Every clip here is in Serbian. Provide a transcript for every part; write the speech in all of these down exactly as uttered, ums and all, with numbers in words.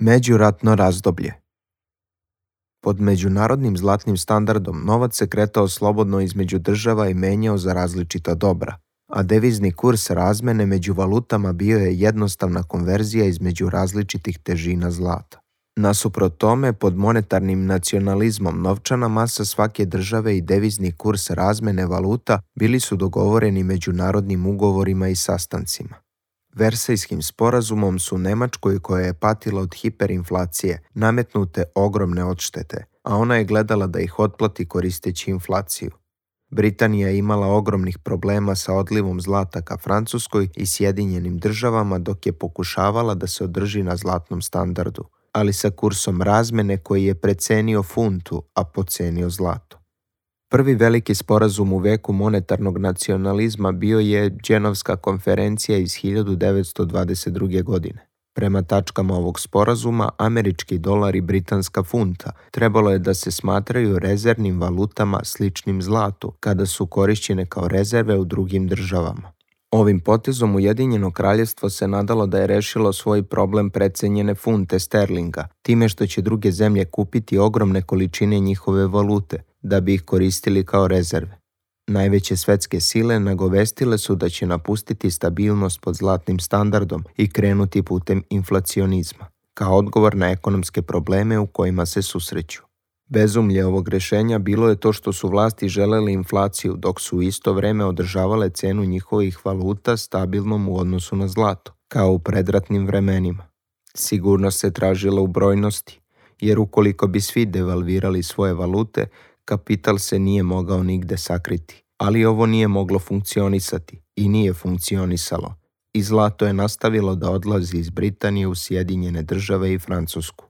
Međuratno razdoblje. Pod međunarodnim zlatnim standardom novac se kretao slobodno između država i menjao za različita dobra, a devizni kurs razmene među valutama bio je jednostavna konverzija između različitih težina zlata. Nasuprot tome, pod monetarnim nacionalizmom novčana masa svake države i devizni kurs razmene valuta bili su dogovoreni međunarodnim ugovorima i sastancima. Versajskim sporazumom su Nemačkoj, koja je patila od hiperinflacije, nametnute ogromne odštete, a ona je gledala da ih otplati koristeći inflaciju. Britanija je imala ogromnih problema sa odlivom zlata ka Francuskoj i Sjedinjenim državama dok je pokušavala da se održi na zlatnom standardu, ali sa kursom razmene koji je precenio funtu, a pocenio zlato. Prvi veliki sporazum u veku monetarnog nacionalizma bio je Dženovska konferencija iz hiljadu devetsto dvadeset druge. godine. Prema tačkama ovog sporazuma, američki dolar i britanska funta trebalo je da se smatraju rezervnim valutama sličnim zlatu kada su korišćene kao rezerve u drugim državama. Ovim potezom Ujedinjeno kraljevstvo se nadalo da je rešilo svoj problem precenjene funte sterlinga, time što će druge zemlje kupiti ogromne količine njihove valute, da bi ih koristili kao rezerve. Najveće svetske sile nagovestile su da će napustiti stabilnost pod zlatnim standardom i krenuti putem inflacionizma, kao odgovor na ekonomske probleme u kojima se susreću. Bezumlje ovog rešenja bilo je to što su vlasti želeli inflaciju, dok su u isto vreme održavale cenu njihovih valuta stabilnom u odnosu na zlato, kao u predratnim vremenima. Sigurnost se tražila u brojnosti, jer ukoliko bi svi devalvirali svoje valute, kapital se nije mogao nigde sakriti. Ali ovo nije moglo funkcionisati i nije funkcionisalo. I zlato je nastavilo da odlazi iz Britanije u Sjedinjene države i Francusku.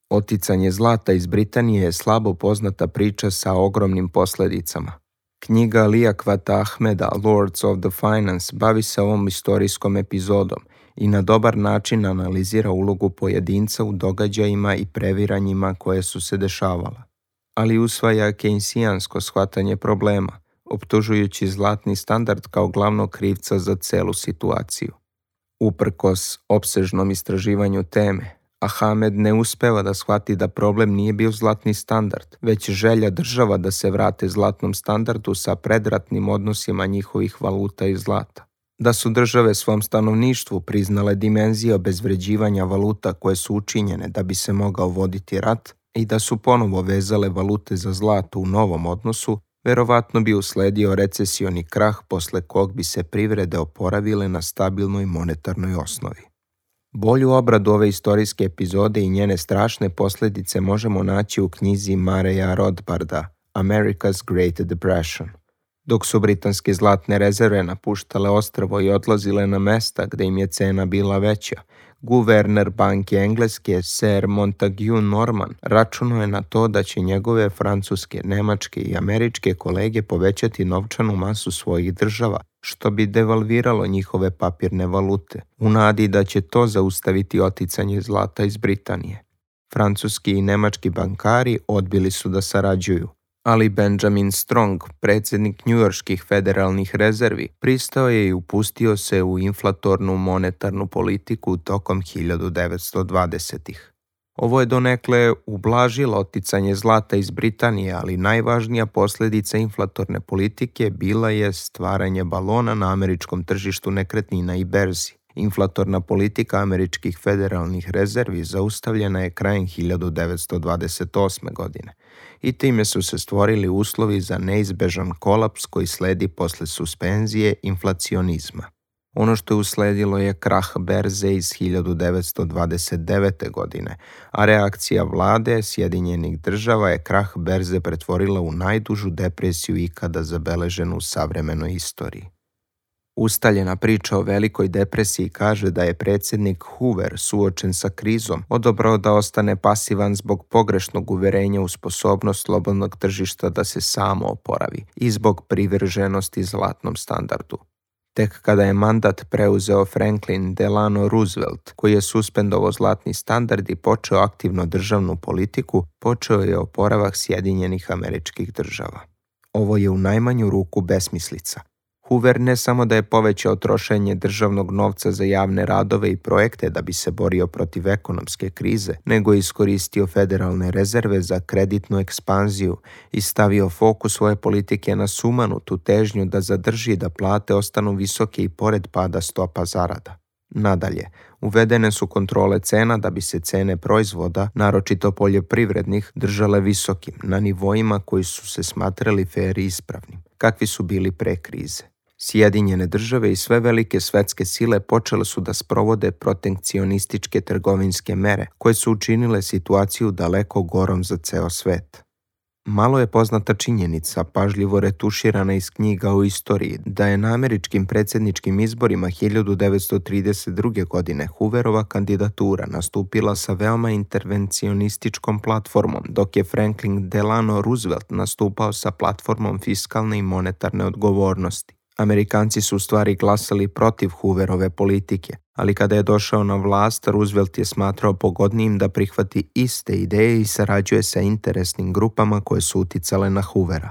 Oticanje zlata iz Britanije je slabo poznata priča sa ogromnim posledicama. Knjiga Liakvata Ahmeda Lords of the Finance bavi se ovom istorijskom epizodom i na dobar način analizira ulogu pojedinca u događajima i previranjima koje su se dešavala, ali usvaja kejnsijansko shvatanje problema, optužujući zlatni standard kao glavnog krivca za celu situaciju. Uprkos opsežnom istraživanju teme, Ahmed ne uspeva da shvati da problem nije bio zlatni standard, već želja država da se vrate zlatnom standardu sa predratnim odnosima njihovih valuta i zlata. Da su države svom stanovništvu priznale dimenzije obezvređivanja valuta koje su učinjene da bi se mogao voditi rat i da su ponovo vezale valute za zlato u novom odnosu, verovatno bi usledio recesioni krah posle kog bi se privrede oporavile na stabilnoj monetarnoj osnovi. Bolju obradu ove istorijske epizode i njene strašne posljedice možemo naći u knjizi Mareja Rothbarda America's Great Depression. Dok su britanske zlatne rezerve napuštale ostrvo i odlazile na mesta gde im je cena bila veća, guverner banke Engleske Sir Montague Norman računao je na to da će njegove francuske, nemačke i američke kolege povećati novčanu masu svojih država, što bi devalviralo njihove papirne valute, u nadi da će to zaustaviti oticanje zlata iz Britanije. Francuski i nemački bankari odbili su da sarađuju, ali Benjamin Strong, predsjednik njujorških federalnih rezervi, pristao je i upustio se u inflatornu monetarnu politiku tokom hiljadu devetsto dvadesetih. Ovo je donekle ublažilo oticanje zlata iz Britanije, ali najvažnija posljedica inflatorne politike bila je stvaranje balona na američkom tržištu nekretnina i berzi. Inflatorna politika američkih federalnih rezervi zaustavljena je krajem hiljadu devetsto dvadeset osme. godine i time su se stvorili uslovi za neizbežan kolaps koji sledi posle suspenzije inflacionizma. Ono što je usledilo je krah berze iz hiljadu devetsto dvadeset devete. godine, a reakcija vlade Sjedinjenih država je krah berze pretvorila u najdužu depresiju ikada zabeleženu u savremenoj istoriji. Ustaljena priča o velikoj depresiji kaže da je predsjednik Hoover, suočen sa krizom, odabrao da ostane pasivan zbog pogrešnog uverenja u sposobnost slobodnog tržišta da se samo oporavi i zbog privrženosti zlatnom standardu. Tek kada je mandat preuzeo Franklin Delano Roosevelt, koji je suspendovao zlatni standard i počeo aktivno državnu politiku, počeo je oporavak Sjedinjenih Američkih Država. Ovo je u najmanju ruku besmislica. Hoover ne samo da je povećao trošenje državnog novca za javne radove i projekte da bi se borio protiv ekonomske krize, nego je iskoristio federalne rezerve za kreditnu ekspanziju i stavio fokus svoje politike na sumanutu težnju da zadrži da plate ostanu visoke i pored pada stopa zarada. Nadalje, uvedene su kontrole cena da bi se cene proizvoda, naročito poljoprivrednih, držale visokim, na nivoima koji su se smatrali fer i ispravnim, kakvi su bili pre krize. Sjedinjene države i sve velike svetske sile počele su da sprovode protekcionističke trgovinske mere, koje su učinile situaciju daleko gorom za ceo svet. Malo je poznata činjenica, pažljivo retuširana iz knjiga o istoriji, da je na američkim predsjedničkim izborima hiljadu devetsto trideset druge. godine Hooverova kandidatura nastupila sa veoma intervencionističkom platformom, dok je Franklin Delano Roosevelt nastupao sa platformom fiskalne i monetarne odgovornosti. Amerikanci su u stvari glasali protiv Hooverove politike, ali kada je došao na vlast, Roosevelt je smatrao pogodnijim da prihvati iste ideje i sarađuje sa interesnim grupama koje su uticale na Hoovera.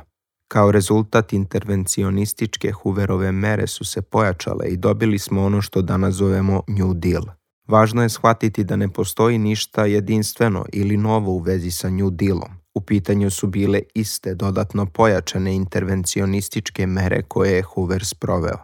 Kao rezultat intervencionističke Hooverove mere su se pojačale i dobili smo ono što danas zovemo New Deal. Važno je shvatiti da ne postoji ništa jedinstveno ili novo u vezi sa New Dealom. U pitanju su bile iste dodatno pojačane intervencionističke mere koje je Hoover sproveo.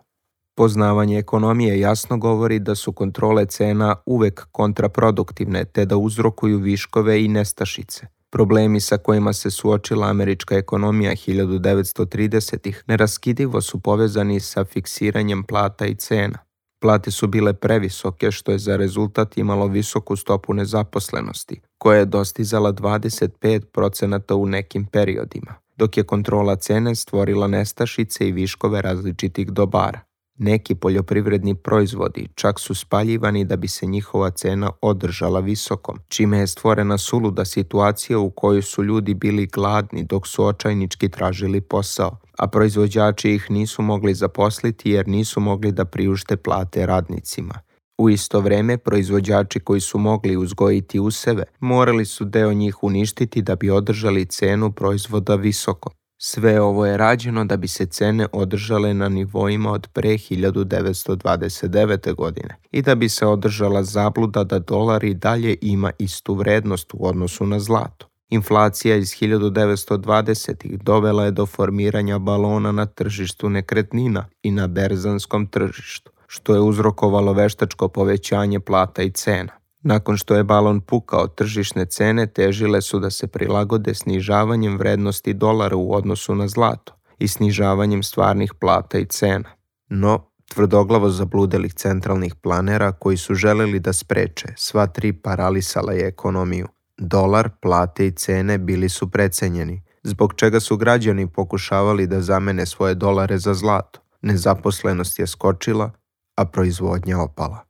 Poznavanje ekonomije jasno govori da su kontrole cena uvek kontraproduktivne te da uzrokuju viškove i nestašice. Problemi sa kojima se suočila američka ekonomija hiljadu devetsto tridesetih neraskidivo su povezani sa fiksiranjem plata i cena. Plate su bile previsoke, što je za rezultat imalo visoku stopu nezaposlenosti, koja je dostizala dvadeset pet procenata u nekim periodima, dok je kontrola cene stvorila nestašice i viškove različitih dobara. Neki poljoprivredni proizvodi čak su spaljivani da bi se njihova cena održala visokom, čime je stvorena suluda situacija u kojoj su ljudi bili gladni dok su očajnički tražili posao, a proizvođači ih nisu mogli zaposliti jer nisu mogli da priušte plate radnicima. U isto vreme, proizvođači koji su mogli uzgojiti useve morali su deo njih uništiti da bi održali cenu proizvoda visoko. Sve ovo je rađeno da bi se cene održale na nivoima od pre hiljadu devetsto dvadeset devete. godine i da bi se održala zabluda da dolar i dalje ima istu vrednost u odnosu na zlato. Inflacija iz hiljadu devetsto dvadesetih dovela je do formiranja balona na tržištu nekretnina i na berzanskom tržištu, što je uzrokovalo veštačko povećanje plata i cena. Nakon što je balon pukao, tržišne cene težile su da se prilagode snižavanjem vrednosti dolara u odnosu na zlato i snižavanjem stvarnih plata i cena. No, tvrdoglavo zabludelih centralnih planera koji su želeli da spreče, sva tri paralisala je ekonomiju. Dolar, plate i cene bili su precenjeni, zbog čega su građani pokušavali da zamene svoje dolare za zlato. Nezaposlenost je skočila, a proizvodnja opala.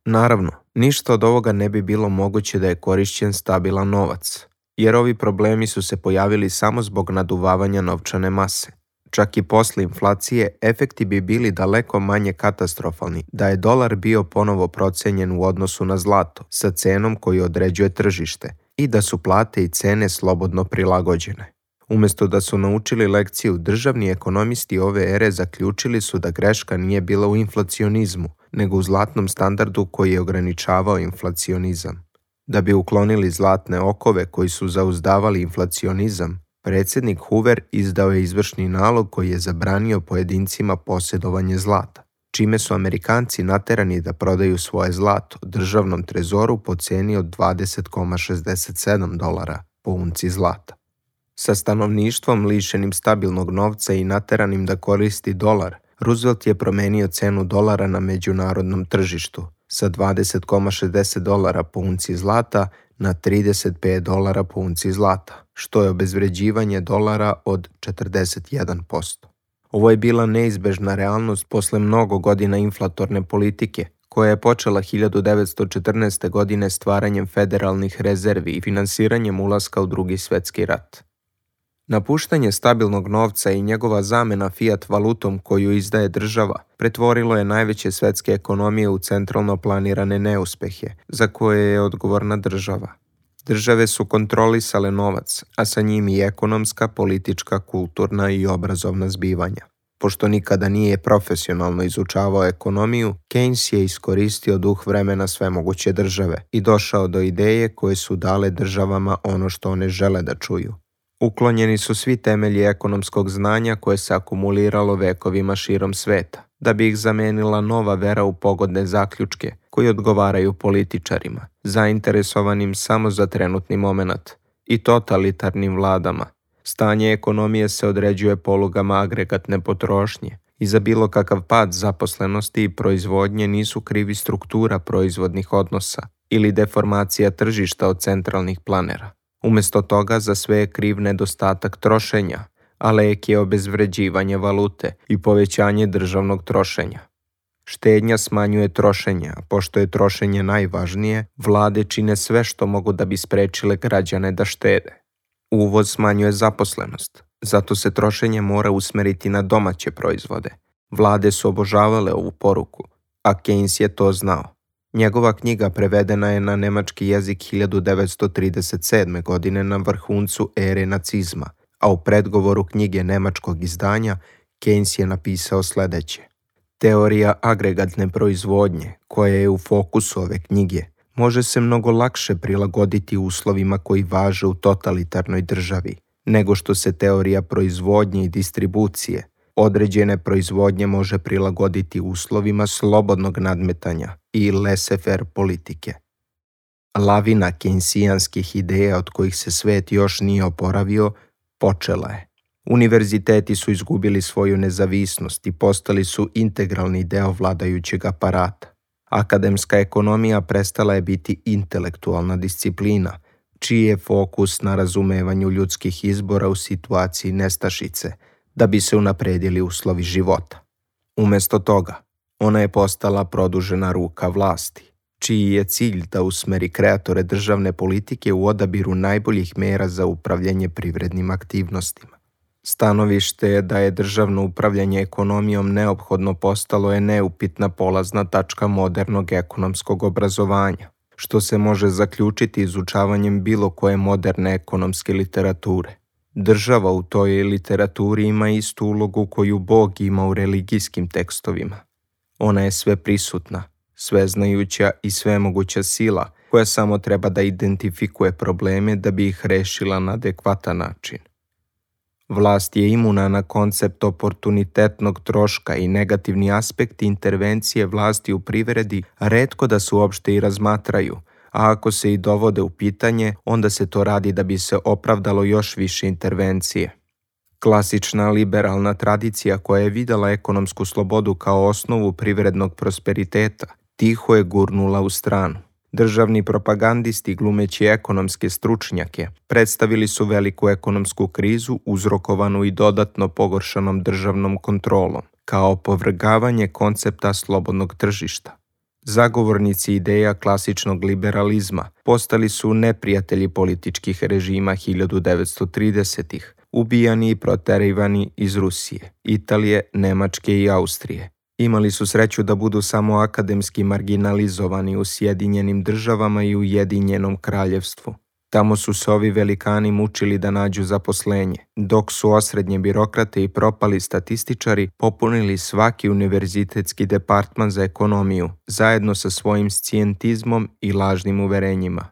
Naravno, ništa od ovoga ne bi bilo moguće da je korišćen stabilan novac, jer ovi problemi su se pojavili samo zbog naduvavanja novčane mase. Čak i posle inflacije, efekti bi bili daleko manje katastrofalni da je dolar bio ponovo procenjen u odnosu na zlato sa cenom koju određuje tržište i da su plate i cene slobodno prilagođene. Umesto da su naučili lekciju, državni ekonomisti ove ere zaključili su da greška nije bila u inflacionizmu, nego u zlatnom standardu koji je ograničavao inflacionizam. Da bi uklonili zlatne okove koji su zauzdavali inflacionizam, predsjednik Hoover izdao je izvršni nalog koji je zabranio pojedincima posjedovanje zlata, čime su Amerikanci naterani da prodaju svoje zlato državnom trezoru po ceni od dvadeset zarez šezdeset sedam dolara po unci zlata. Sa stanovništvom lišenim stabilnog novca i nateranim da koristi dolar, Roosevelt je promenio cenu dolara na međunarodnom tržištu sa dvadeset zarez šezdeset dolara po unci zlata na trideset pet dolara po unci zlata, što je obezvređivanje dolara od četrdeset jedan posto. Ovo je bila neizbežna realnost posle mnogo godina inflatorne politike, koja je počela hiljadu devetsto četrnaeste. godine stvaranjem federalnih rezervi i finansiranjem ulaska u Drugi svetski rat. Napuštanje stabilnog novca i njegova zamena fiat valutom koju izdaje država pretvorilo je najveće svetske ekonomije u centralno planirane neuspehe, za koje je odgovorna država. Države su kontrolisale novac, a sa njim i ekonomska, politička, kulturna i obrazovna zbivanja. Pošto nikada nije profesionalno izučavao ekonomiju, Keynes je iskoristio duh vremena svemoguće države i došao do ideje koje su dale državama ono što one žele da čuju. Uklonjeni su svi temelji ekonomskog znanja koje se akumuliralo vekovima širom sveta, da bi ih zamenila nova vera u pogodne zaključke koji odgovaraju političarima, zainteresovanim samo za trenutni momenat, i totalitarnim vladama. Stanje ekonomije se određuje polugama agregatne potrošnje i za bilo kakav pad zaposlenosti i proizvodnje nisu krivi struktura proizvodnih odnosa ili deformacija tržišta od centralnih planera. Umjesto toga za sve je kriv nedostatak trošenja, a lek je obezvređivanje valute i povećanje državnog trošenja. Štednja smanjuje trošenje, a pošto je trošenje najvažnije, vlade čine sve što mogu da bi sprečile građane da štede. Uvoz smanjuje zaposlenost, zato se trošenje mora usmeriti na domaće proizvode. Vlade su obožavale ovu poruku, a Keynes je to znao. Njegova knjiga prevedena je na nemački jezik hiljadu devetsto trideset sedme. godine na vrhuncu ere nacizma, a u predgovoru knjige nemačkog izdanja Keynes je napisao sljedeće. Teorija agregatne proizvodnje, koja je u fokusu ove knjige, može se mnogo lakše prilagoditi uslovima koji važe u totalitarnoj državi, nego što se teorija proizvodnje i distribucije određene proizvodnje može prilagoditi uslovima slobodnog nadmetanja i laissez-faire politike. Lavina keynesijanskih ideja od kojih se svet još nije oporavio, počela je. Univerziteti su izgubili svoju nezavisnost i postali su integralni deo vladajućeg aparata. Akademska ekonomija prestala je biti intelektualna disciplina, čiji je fokus na razumevanju ljudskih izbora u situaciji nestašice, da bi se unapredili uslovi života. Umjesto toga, ona je postala produžena ruka vlasti, čiji je cilj da usmeri kreatore državne politike u odabiru najboljih mera za upravljanje privrednim aktivnostima. Stanovište je da je državno upravljanje ekonomijom neophodno postalo je neupitna polazna tačka modernog ekonomskog obrazovanja, što se može zaključiti izučavanjem bilo koje moderne ekonomske literature. Država u toj literaturi ima istu ulogu koju Bog ima u religijskim tekstovima. Ona je sveprisutna, sveznajuća i svemoguća sila koja samo treba da identifikuje probleme da bi ih rešila na adekvatan način. Vlast je imuna na koncept oportunitetnog troška i negativni aspekti intervencije vlasti u privredi retko da se uopšte i razmatraju, a ako se i dovode u pitanje, onda se to radi da bi se opravdalo još više intervencije. Klasična liberalna tradicija koja je videla ekonomsku slobodu kao osnovu privrednog prosperiteta, tiho je gurnula u stranu. Državni propagandisti, glumeći ekonomske stručnjake, predstavili su veliku ekonomsku krizu uzrokovanu i dodatno pogoršanom državnom kontrolom, kao opovrgavanje koncepta slobodnog tržišta. Zagovornici ideja klasičnog liberalizma postali su neprijatelji političkih režima hiljadu devetsto tridesetih, ubijani i proterivani iz Rusije, Italije, Nemačke i Austrije. Imali su sreću da budu samo akademski marginalizovani u Sjedinjenim državama i Ujedinjenom kraljevstvu. Tamo su se ovi velikani mučili da nađu zaposlenje, dok su osrednje birokrate i propali statističari popunili svaki univerzitetski departman za ekonomiju, zajedno sa svojim scijentizmom i lažnim uverenjima.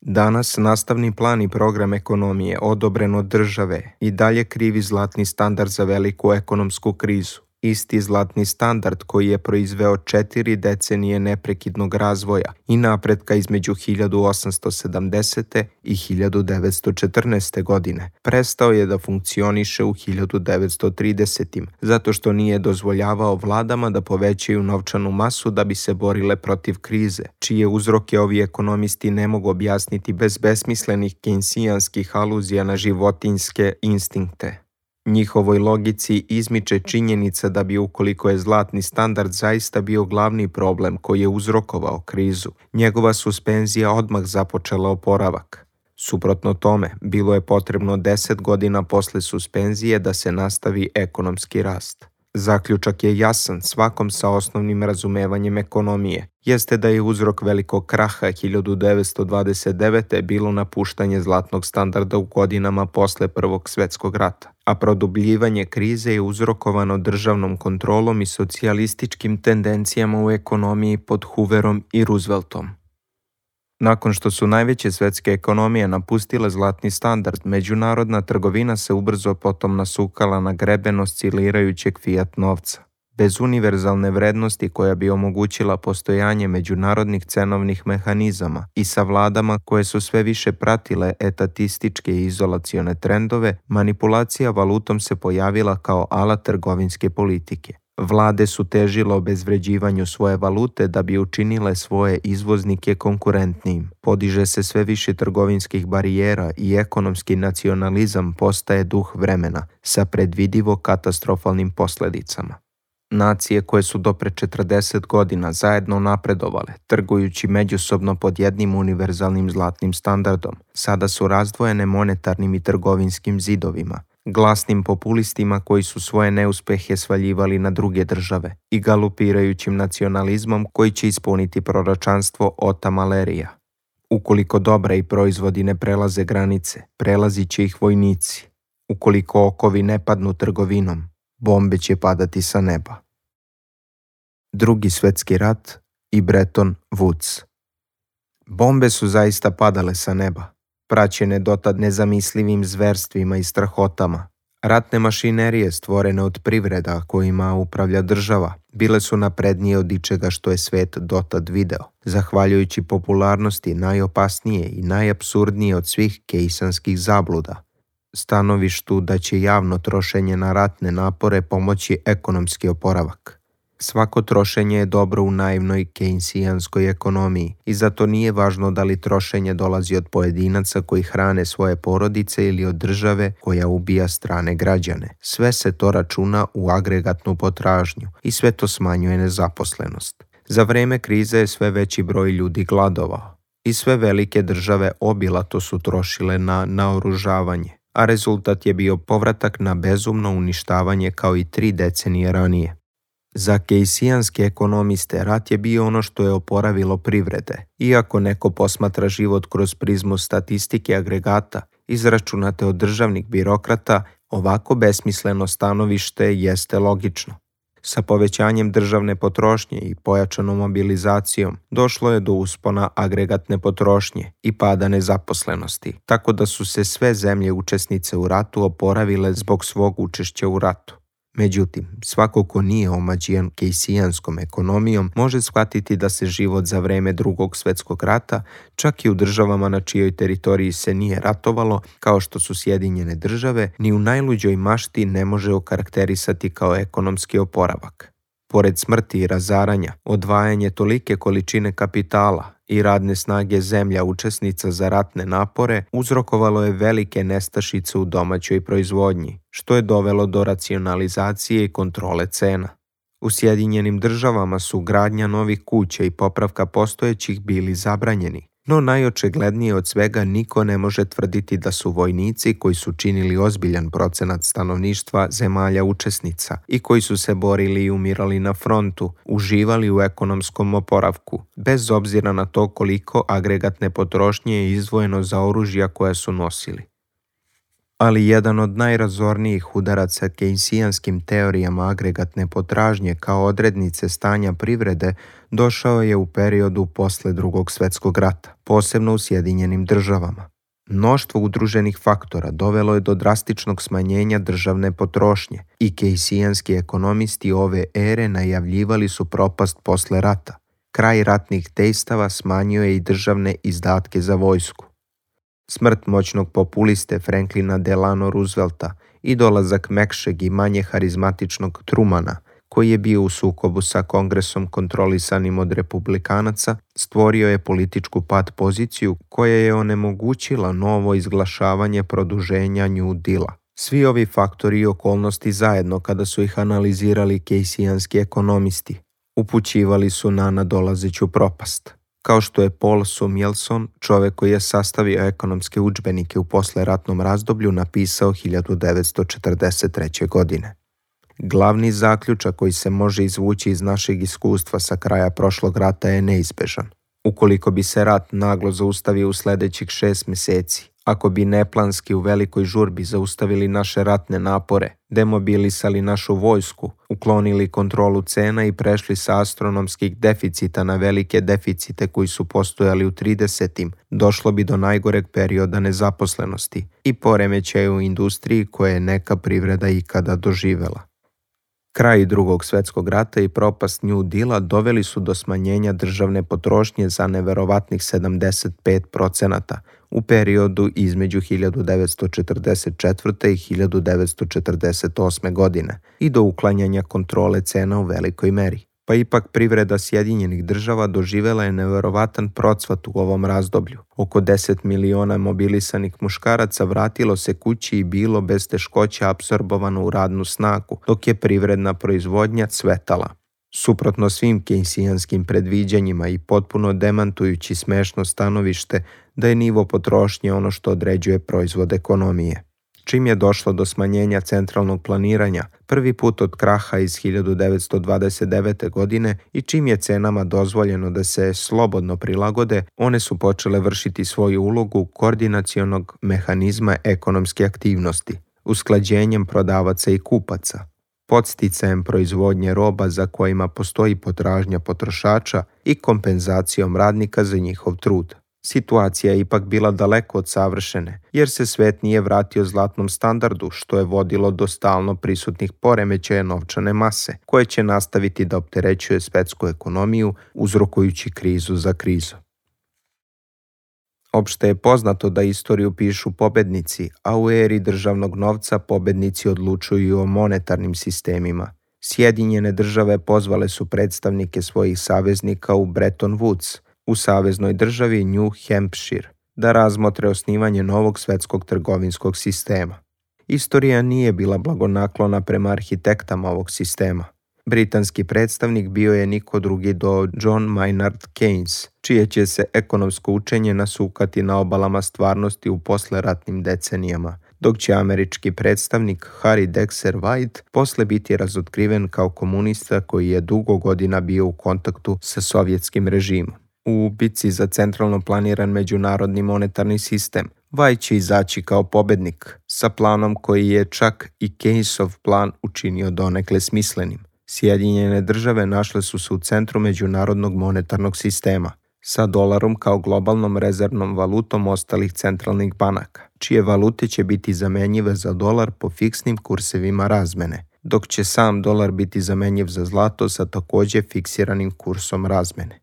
Danas nastavni plan i program ekonomije odobren od države i dalje krivi zlatni standard za veliku ekonomsku krizu. Isti zlatni standard koji je proizveo četiri decenije neprekidnog razvoja i napretka između hiljadu osamsto sedamdesete. i hiljadu devetsto četrnaeste. godine, prestao je da funkcioniše u hiljadu devetsto tridesetim. zato što nije dozvoljavao vladama da povećaju novčanu masu da bi se borile protiv krize, čije uzroke ovi ekonomisti ne mogu objasniti bez besmislenih keynesijanskih aluzija na životinjske instinkte. Njihovoj logici izmiče činjenica da bi, ukoliko je zlatni standard zaista bio glavni problem koji je uzrokovao krizu, njegova suspenzija odmah započela oporavak. Suprotno tome, bilo je potrebno deset godina posle suspenzije da se nastavi ekonomski rast. Zaključak je jasan svakom sa osnovnim razumevanjem ekonomije, jeste da je uzrok velikog kraha hiljadu devetsto dvadeset devete. bilo napuštanje zlatnog standarda u godinama posle Prvog svjetskog rata, a produbljivanje krize je uzrokovano državnom kontrolom i socijalističkim tendencijama u ekonomiji pod Hooverom i Rooseveltom. Nakon što su najveće svetske ekonomije napustile zlatni standard, međunarodna trgovina se ubrzo potom nasukala na greben oscilirajućeg fiat novca. Bez univerzalne vrednosti koja bi omogućila postojanje međunarodnih cenovnih mehanizama i sa vladama koje su sve više pratile etatističke i izolacione trendove, manipulacija valutom se pojavila kao alat trgovinske politike. Vlade su težile obezvređivanju svoje valute da bi učinile svoje izvoznike konkurentnijim. Podiže se sve više trgovinskih barijera i ekonomski nacionalizam postaje duh vremena sa predvidivo katastrofalnim posljedicama. Nacije koje su do pre četrdeset godina zajedno napredovale, trgujući međusobno pod jednim univerzalnim zlatnim standardom, sada su razdvojene monetarnim i trgovinskim zidovima, glasnim populistima koji su svoje neuspehe svaljivali na druge države i galupirajućim nacionalizmom koji će ispuniti proročanstvo Ota Malerija. Ukoliko dobra i proizvodi ne prelaze granice, prelazit će ih vojnici. Ukoliko okovi ne padnu trgovinom, bombe će padati sa neba. Drugi svjetski rat i Bretton Woods. Bombe su zaista padale sa neba, praćene dotad nezamislivim zverstvima i strahotama. Ratne mašinerije stvorene od privreda kojima upravlja država bile su naprednije od ičega što je svet dotad video, zahvaljujući popularnosti najopasnije i najapsurdnije od svih kejsanskih zabluda, stanovištu da će javno trošenje na ratne napore pomoći ekonomski oporavak. Svako trošenje je dobro u naivnoj kejnsijanskoj ekonomiji i zato nije važno da li trošenje dolazi od pojedinaca koji hrane svoje porodice ili od države koja ubija strane građane. Sve se to računa u agregatnu potražnju i sve to smanjuje nezaposlenost. Za vreme krize je sve veći broj ljudi gladovao i sve velike države obilato su trošile na naoružavanje, a rezultat je bio povratak na bezumno uništavanje kao i tri decenije ranije. Za kejsijanske ekonomiste rat je bio ono što je oporavilo privrede. Iako neko posmatra život kroz prizmu statistike agregata, izračunate od državnih birokrata, ovako besmisleno stanovište jeste logično. Sa povećanjem državne potrošnje i pojačanom mobilizacijom došlo je do uspona agregatne potrošnje i pada nezaposlenosti, tako da su se sve zemlje učesnice u ratu oporavile zbog svog učešća u ratu. Međutim, svako ko nije omađijan kejsijanskom ekonomijom može shvatiti da se život za vreme Drugog svjetskog rata, čak i u državama na čijoj teritoriji se nije ratovalo, kao što su Sjedinjene države, ni u najluđoj mašti ne može okarakterisati kao ekonomski oporavak. Pored smrti i razaranja, odvajanje tolike količine kapitala i radne snage zemlja učesnica za ratne napore uzrokovalo je velike nestašice u domaćoj proizvodnji, što je dovelo do racionalizacije i kontrole cena. U Sjedinjenim državama su gradnja novih kuća i popravka postojećih bili zabranjeni, no najočiglednije od svega niko ne može tvrditi da su vojnici koji su činili ozbiljan procenat stanovništva zemalja učesnica i koji su se borili i umirali na frontu, uživali u ekonomskom oporavku, bez obzira na to koliko agregatne potrošnje je izdvojeno za oružja koja su nosili. Ali jedan od najrazornijih udaraca kejnsijanskim teorijama agregatne potražnje kao odrednice stanja privrede došao je u periodu posle Drugog svjetskog rata, posebno u Sjedinjenim državama. Mnoštvo udruženih faktora dovelo je do drastičnog smanjenja državne potrošnje i kejnsijanski ekonomisti ove ere najavljivali su propast posle rata. Kraj ratnih dejstava smanjio je i državne izdatke za vojsku. Smrt moćnog populiste Franklina Delano Roosevelta i dolazak mekšeg i manje harizmatičnog Trumana, koji je bio u sukobu sa kongresom kontrolisanim od republikanaca, stvorio je političku pat poziciju koja je onemogućila novo izglašavanje produženja New Deala. Svi ovi faktori i okolnosti zajedno, kada su ih analizirali kejnsijanski ekonomisti, upućivali su na nadolazeću propast. Kao što je Paul Samuelson, čovjek koji je sastavio ekonomske udžbenike u posleratnom razdoblju, napisao hiljadu devetsto četrdeset treće. godine. Glavni zaključak koji se može izvući iz našeg iskustva sa kraja prošlog rata je neizbežan. Ukoliko bi se rat naglo zaustavio u sljedećih šest mjeseci, ako bi neplanski u velikoj žurbi zaustavili naše ratne napore, demobilisali našu vojsku, uklonili kontrolu cena i prešli sa astronomskih deficita na velike deficite koji su postojali u tridesetim, došlo bi do najgoreg perioda nezaposlenosti i poremećaja u industriji koje je neka privreda ikada doživela. Kraj Drugog svjetskog rata i propast New Deala doveli su do smanjenja državne potrošnje za neverovatnih sedamdeset pet procenata u periodu između hiljadu devetsto četrdeset četvrte. i hiljadu devetsto četrdeset osme. godine i do uklanjanja kontrole cena u velikoj meri. Pa ipak privreda Sjedinjenih država doživjela je neverovatan procvat u ovom razdoblju. Oko deset miliona mobilisanih muškaraca vratilo se kući i bilo bez teškoća apsorbovano u radnu snagu, dok je privredna proizvodnja cvetala. Suprotno svim kejnsijanskim predviđanjima i potpuno demantujući smešno stanovište da je nivo potrošnje ono što određuje proizvod ekonomije. Čim je došlo do smanjenja centralnog planiranja, prvi put od kraha iz hiljadu devetsto dvadeset devete. godine i čim je cenama dozvoljeno da se slobodno prilagode, one su počele vršiti svoju ulogu koordinacionog mehanizma ekonomske aktivnosti, usklađenjem prodavaca i kupaca, podsticajem proizvodnje roba za kojima postoji potražnja potrošača i kompenzacijom radnika za njihov trud. Situacija je ipak bila daleko od savršene, jer se svet nije vratio zlatnom standardu, što je vodilo do stalno prisutnih poremećaja novčane mase, koje će nastaviti da opterećuje svetsku ekonomiju, uzrokujući krizu za krizu. Opšte je poznato da istoriju pišu pobednici, a u eri državnog novca pobednici odlučuju o monetarnim sistemima. Sjedinjene države pozvale su predstavnike svojih saveznika u Bretton Woods, u saveznoj državi New Hampshire, da razmotre osnivanje novog svetskog trgovinskog sistema. Istorija nije bila blagonaklona prema arhitektama ovog sistema. Britanski predstavnik bio je niko drugi do John Maynard Keynes, čije će se ekonomsko učenje nasukati na obalama stvarnosti u posleratnim decenijama, dok će američki predstavnik Harry Dexter White posle biti razotkriven kao komunista koji je dugo godina bio u kontaktu sa sovjetskim režimom. U bici za centralno planiran međunarodni monetarni sistem, White će izaći kao pobednik, sa planom koji je čak i Keynesov plan učinio donekle smislenim. Sjedinjene države našle su se u centru međunarodnog monetarnog sistema, sa dolarom kao globalnom rezervnom valutom ostalih centralnih banaka, čije valute će biti zamenjive za dolar po fiksnim kursevima razmene, dok će sam dolar biti zamenjiv za zlato sa također fiksiranim kursom razmene.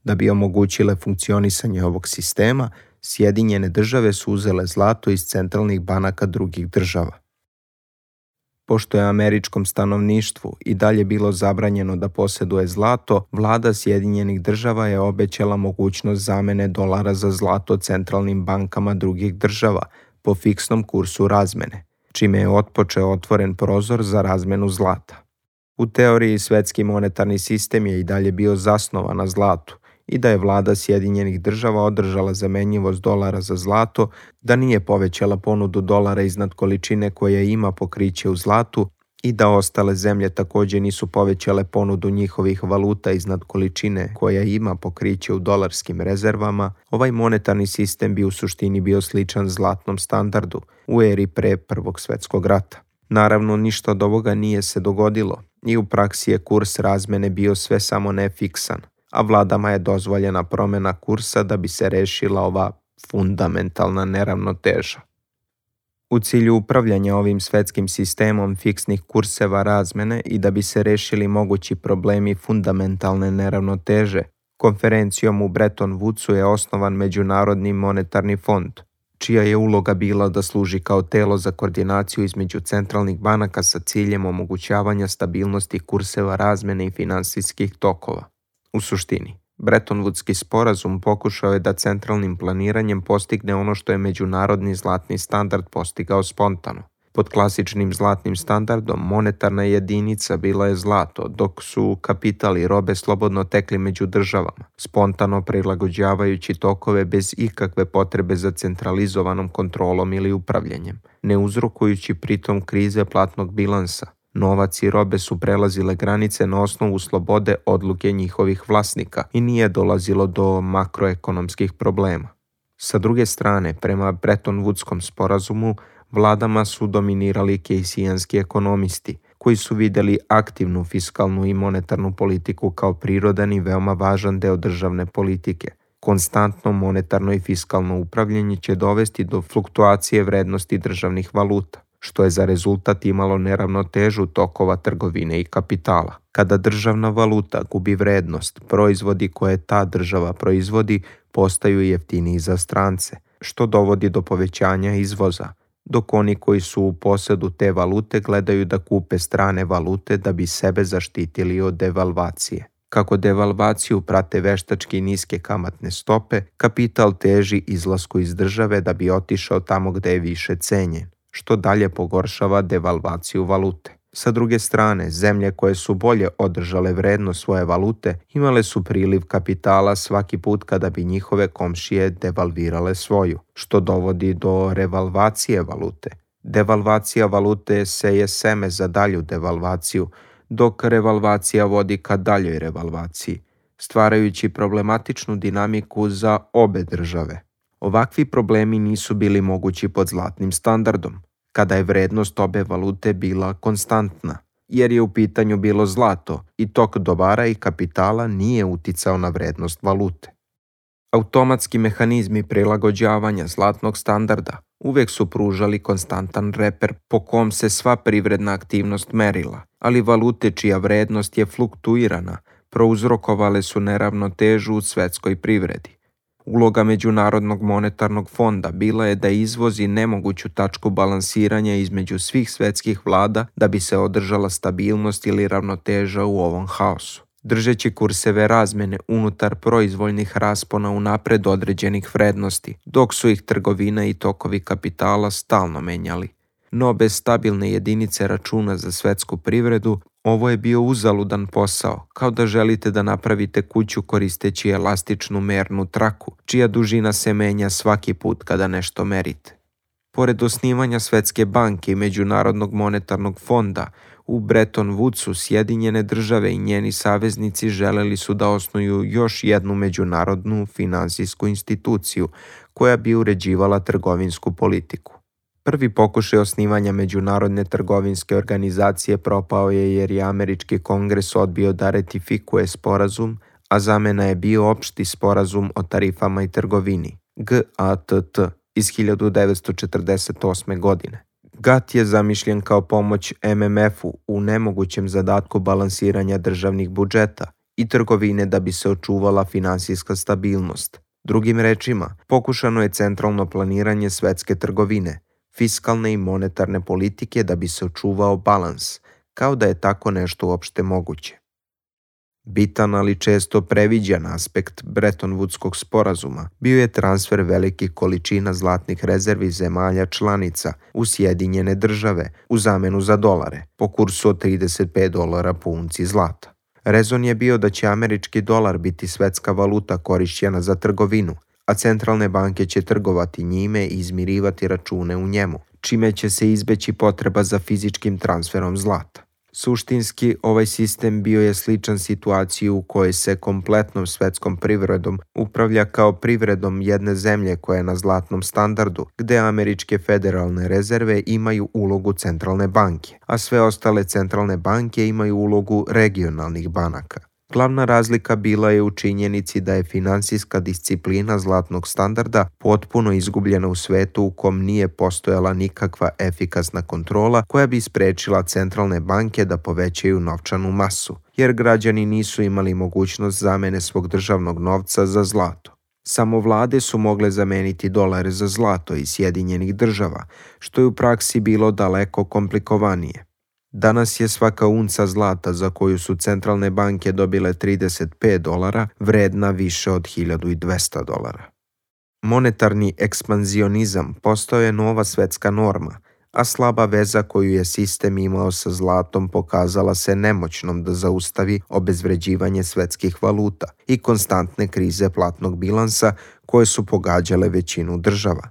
Da bi omogućile funkcionisanje ovog sistema, Sjedinjene države su uzele zlato iz centralnih banaka drugih država. Pošto je američkom stanovništvu i dalje bilo zabranjeno da posjeduje zlato, vlada Sjedinjenih država je obećala mogućnost zamene dolara za zlato centralnim bankama drugih država po fiksnom kursu razmene, čime je otpočeo otvoren prozor za razmenu zlata. U teoriji svetski monetarni sistem je i dalje bio zasnovan na zlatu, i da je vlada Sjedinjenih država održala zamenjivost dolara za zlato, da nije povećala ponudu dolara iznad količine koja ima pokriće u zlatu i da ostale zemlje također nisu povećale ponudu njihovih valuta iznad količine koja ima pokriće u dolarskim rezervama, ovaj monetarni sistem bi u suštini bio sličan zlatnom standardu u eri pre Prvog svjetskog rata. Naravno, ništa od ovoga nije se dogodilo i u praksi je kurs razmene bio sve samo nefiksan, a vladama je dozvoljena promjena kursa da bi se rešila ova fundamentalna neravnoteža. U cilju upravljanja ovim svetskim sistemom fiksnih kurseva razmene i da bi se rešili mogući problemi fundamentalne neravnoteže, konferencijom u Bretton Woodsu je osnovan Međunarodni monetarni fond, čija je uloga bila da služi kao telo za koordinaciju između centralnih banaka sa ciljem omogućavanja stabilnosti kurseva razmene i finansijskih tokova. U suštini, Bretton Woodski sporazum pokušao je da centralnim planiranjem postigne ono što je međunarodni zlatni standard postigao spontano. Pod klasičnim zlatnim standardom monetarna jedinica bila je zlato, dok su kapital i robe slobodno tekli među državama, spontano prilagođavajući tokove bez ikakve potrebe za centralizovanom kontrolom ili upravljanjem, ne uzrokujući pritom krize platnog bilansa, Novac i robe su prelazile granice na osnovu slobode odluke njihovih vlasnika i nije dolazilo do makroekonomskih problema. Sa druge strane, prema Bretton Woodskom sporazumu, vladama su dominirali kejsijanski ekonomisti, koji su vidjeli aktivnu fiskalnu i monetarnu politiku kao prirodan i veoma važan deo državne politike. Konstantno monetarno i fiskalno upravljanje će dovesti do fluktuacije vrednosti državnih valuta, što je za rezultat imalo neravnotežu tokova trgovine i kapitala. Kada državna valuta gubi vrednost, proizvodi koje ta država proizvodi postaju jeftiniji za strance, što dovodi do povećanja izvoza, dok oni koji su u posedu te valute gledaju da kupe strane valute da bi sebe zaštitili od devalvacije. Kako devalvaciju prate veštački niske kamatne stope, kapital teži izlasku iz države da bi otišao tamo gde je više cenjen, što dalje pogoršava devalvaciju valute. Sa druge strane, zemlje koje su bolje održale vrednost svoje valute imale su priliv kapitala svaki put kada bi njihove komšije devalvirale svoju, što dovodi do revalvacije valute. Devalvacija valute seje seme za dalju devalvaciju, dok revalvacija vodi ka daljoj revalvaciji, stvarajući problematičnu dinamiku za obe države. Ovakvi problemi nisu bili mogući pod zlatnim standardom, kada je vrednost obe valute bila konstantna, jer je u pitanju bilo zlato i tok dobara i kapitala nije uticao na vrednost valute. Automatski mehanizmi prilagođavanja zlatnog standarda uvek su pružali konstantan reper po kom se sva privredna aktivnost merila, ali valute čija vrednost je fluktuirana prouzrokovale su neravnotežu u svetskoj privredi. Uloga Međunarodnog monetarnog fonda bila je da izvozi nemoguću tačku balansiranja između svih svetskih vlada da bi se održala stabilnost ili ravnoteža u ovom haosu, držeći kurseve razmene unutar proizvoljnih raspona unapred određenih vrednosti, dok su ih trgovina i tokovi kapitala stalno menjali. No bez stabilne jedinice računa za svetsku privredu, ovo je bio uzaludan posao, kao da želite da napravite kuću koristeći elastičnu mernu traku, čija dužina se menja svaki put kada nešto merite. Pored osnivanja Svetske banke i Međunarodnog monetarnog fonda, u Bretton Woodsu Sjedinjene države i njeni saveznici želeli su da osnuju još jednu međunarodnu finansijsku instituciju koja bi uređivala trgovinsku politiku. Prvi pokušaj osnivanja Međunarodne trgovinske organizacije propao je jer je Američki kongres odbio da ratifikuje sporazum, a zamena je bio opšti sporazum o tarifama i trgovini, G A T T, iz hiljadu devetsto četrdeset osme. godine. G A T T je zamišljen kao pomoć M M F-u u nemogućem zadatku balansiranja državnih budžeta i trgovine da bi se očuvala finansijska stabilnost. Drugim rečima, pokušano je centralno planiranje svetske trgovine, fiskalne i monetarne politike da bi se očuvao balans, kao da je tako nešto uopšte moguće. Bitan, ali često previđan aspekt Bretton Woodskog sporazuma bio je transfer velikih količina zlatnih rezervi zemalja članica u Sjedinjene države u zamenu za dolare, po kursu od trideset pet dolara po unci zlata. Rezon je bio da će američki dolar biti svetska valuta korišćena za trgovinu, a centralne banke će trgovati njime i izmirivati račune u njemu, čime će se izbeći potreba za fizičkim transferom zlata. Suštinski, ovaj sistem bio je sličan situaciji u kojoj se kompletnom svetskom privredom upravlja kao privredom jedne zemlje koja je na zlatnom standardu, gde američke federalne rezerve imaju ulogu centralne banke, a sve ostale centralne banke imaju ulogu regionalnih banaka. Glavna razlika bila je u činjenici da je finansijska disciplina zlatnog standarda potpuno izgubljena u svetu u kom nije postojala nikakva efikasna kontrola koja bi sprečila centralne banke da povećaju novčanu masu, jer građani nisu imali mogućnost zamene svog državnog novca za zlato. Samo vlade su mogle zameniti dolare za zlato iz Sjedinjenih država, što je u praksi bilo daleko komplikovanije. Danas je svaka unca zlata za koju su centralne banke dobile trideset pet dolara vredna više od hiljadu dvesta dolara. Monetarni ekspanzionizam postao je nova svetska norma, a slaba veza koju je sistem imao sa zlatom pokazala se nemoćnom da zaustavi obezvređivanje svetskih valuta i konstantne krize platnog bilansa koje su pogađale većinu država.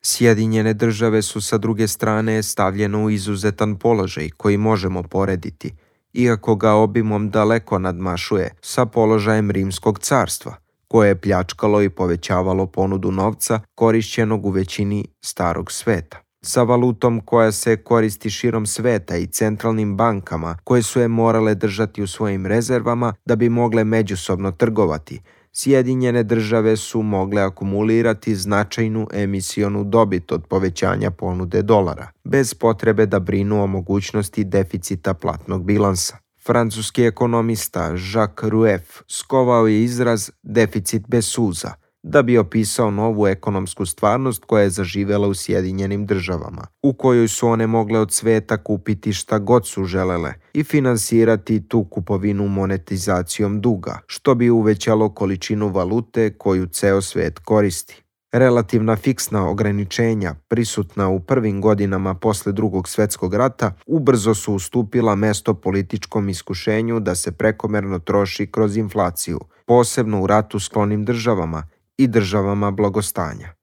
Sjedinjene države su sa druge strane stavljene u izuzetan položaj koji možemo porediti, iako ga obimom daleko nadmašuje, sa položajem Rimskog carstva, koje je pljačkalo i povećavalo ponudu novca korišćenog u većini starog sveta. Sa valutom koja se koristi širom sveta i centralnim bankama koje su je morale držati u svojim rezervama da bi mogle međusobno trgovati, Sjedinjene države su mogle akumulirati značajnu emisionu dobit od povećanja ponude dolara, bez potrebe da brinu o mogućnosti deficita platnog bilansa. Francuski ekonomista Jacques Rueff skovao je izraz deficit bez suza, da bi opisao novu ekonomsku stvarnost koja je zaživela u Sjedinjenim državama, u kojoj su one mogle od sveta kupiti šta god su želele i finansirati tu kupovinu monetizacijom duga, što bi uvećalo količinu valute koju ceo svet koristi. Relativna fiksna ograničenja, prisutna u prvim godinama posle Drugog svetskog rata, ubrzo su ustupila mesto političkom iskušenju da se prekomerno troši kroz inflaciju, posebno u ratu sklonim državama i državama blagostanja.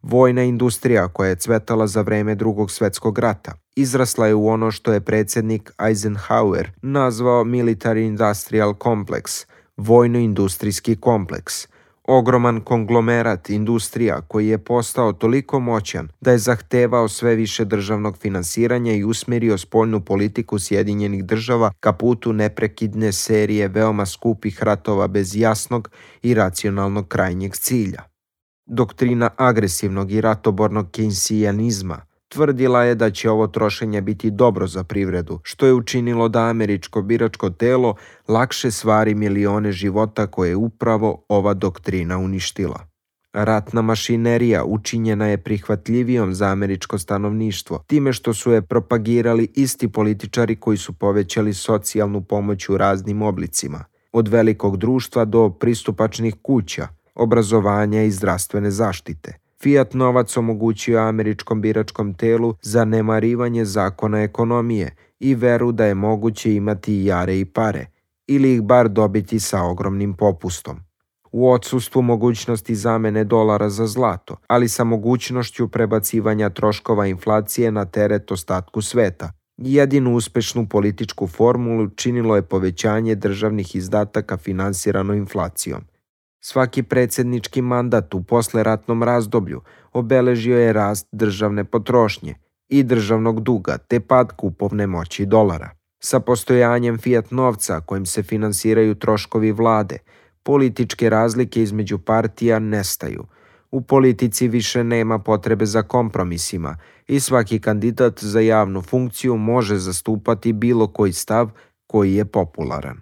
Vojna industrija koja je cvetala za vreme Drugog svetskog rata izrasla je u ono što je predsjednik Eisenhower nazvao Military Industrial Complex, vojno-industrijski kompleks, ogroman konglomerat industrija koji je postao toliko moćan da je zahtevao sve više državnog finansiranja i usmjerio spoljnu politiku Sjedinjenih država ka putu neprekidne serije veoma skupih ratova bez jasnog i racionalnog krajnjeg cilja. Doktrina agresivnog i ratobornog kejnsijanizma tvrdila je da će ovo trošenje biti dobro za privredu, što je učinilo da američko biračko telo lakše svari milione života koje je upravo ova doktrina uništila. Ratna mašinerija učinjena je prihvatljivijom za američko stanovništvo, time što su je propagirali isti političari koji su povećali socijalnu pomoć u raznim oblicima, od velikog društva do pristupačnih kuća, obrazovanja i zdravstvene zaštite. Fiat novac omogućio američkom biračkom telu zanemarivanje zakona ekonomije i veru da je moguće imati jare i pare, ili ih bar dobiti sa ogromnim popustom. U odsustvu mogućnosti zamene dolara za zlato, ali sa mogućnošću prebacivanja troškova inflacije na teret ostatku sveta, jedinu uspešnu političku formulu činilo je povećanje državnih izdataka finansirano inflacijom. Svaki predsjednički mandat u posleratnom razdoblju obeležio je rast državne potrošnje i državnog duga te pad kupovne moći dolara. Sa postojanjem fiat novca kojim se finansiraju troškovi vlade, političke razlike između partija nestaju. U politici više nema potrebe za kompromisima i svaki kandidat za javnu funkciju može zastupati bilo koji stav koji je popularan.